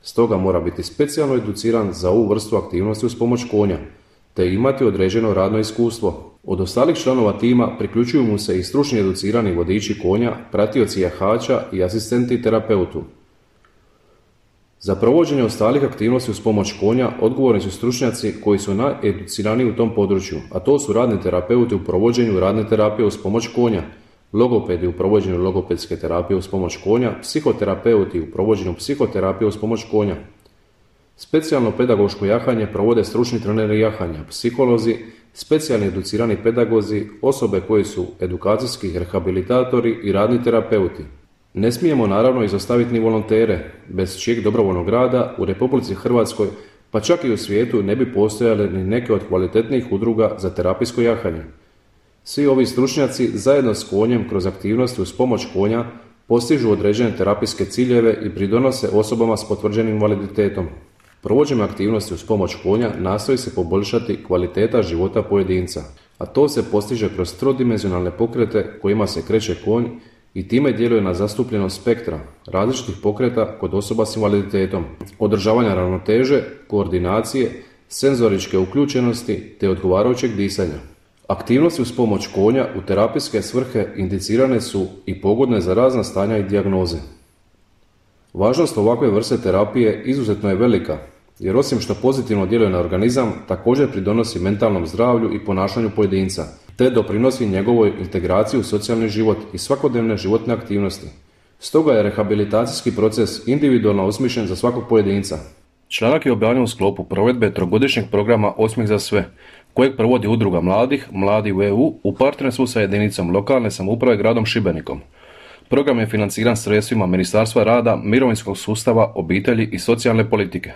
Stoga mora biti specijalno educiran za ovu vrstu aktivnosti uz pomoć konja, te imati određeno radno iskustvo. Od ostalih članova tima priključuju mu se i stručni educirani vodiči konja, pratioci jahača i asistenti terapeutu. Za provođenje ostalih aktivnosti uz pomoć konja odgovorni su stručnjaci koji su najeduciraniji u tom području, a to su radni terapeuti u provođenju radne terapije uz pomoć konja, logopedi u provođenju logopedske terapije uz pomoć konja, psihoterapeuti u provođenju psihoterapije uz pomoć konja. Specijalno pedagoško jahanje provode stručni treneri jahanja, psiholozi, specijalni educirani pedagozi, osobe koji su edukacijski rehabilitatori i radni terapeuti. Ne smijemo naravno izostaviti ni volontere, bez čijeg dobrovoljnog rada u Republici Hrvatskoj, pa čak i u svijetu ne bi postojale ni neke od kvalitetnijih udruga za terapijsko jahanje. Svi ovi stručnjaci zajedno s konjem kroz aktivnosti uz pomoć konja postižu određene terapijske ciljeve i pridonose osobama s potvrđenim invaliditetom. Provođenjem aktivnosti uz pomoć konja nastoji se poboljšati kvaliteta života pojedinca, a to se postiže kroz trodimenzionalne pokrete kojima se kreće konj i time djeluje na zastupljenost spektra različitih pokreta kod osoba s invaliditetom, održavanja ravnoteže, koordinacije, senzoričke uključenosti te odgovarajućeg disanja. Aktivnosti uz pomoć konja u terapijske svrhe indicirane su i pogodne za razna stanja i dijagnoze. Važnost ovakve vrste terapije izuzetno je velika, jer osim što pozitivno djeluje na organizam, također pridonosi mentalnom zdravlju i ponašanju pojedinca, te doprinosi njegovoj integraciji u socijalni život i svakodnevne životne aktivnosti. Stoga je rehabilitacijski proces individualno osmišljen za svakog pojedinca. Članak je objavljen u sklopu provedbe trogodišnjeg programa Osmijeh za sve, kojeg provodi Udruga mladih, Mladi u EU, u partnerstvu sa jedinicom lokalne samouprave gradom Šibenikom. Program je financiran sredstvima Ministarstva rada, mirovinskog sustava, obitelji i socijalne politike.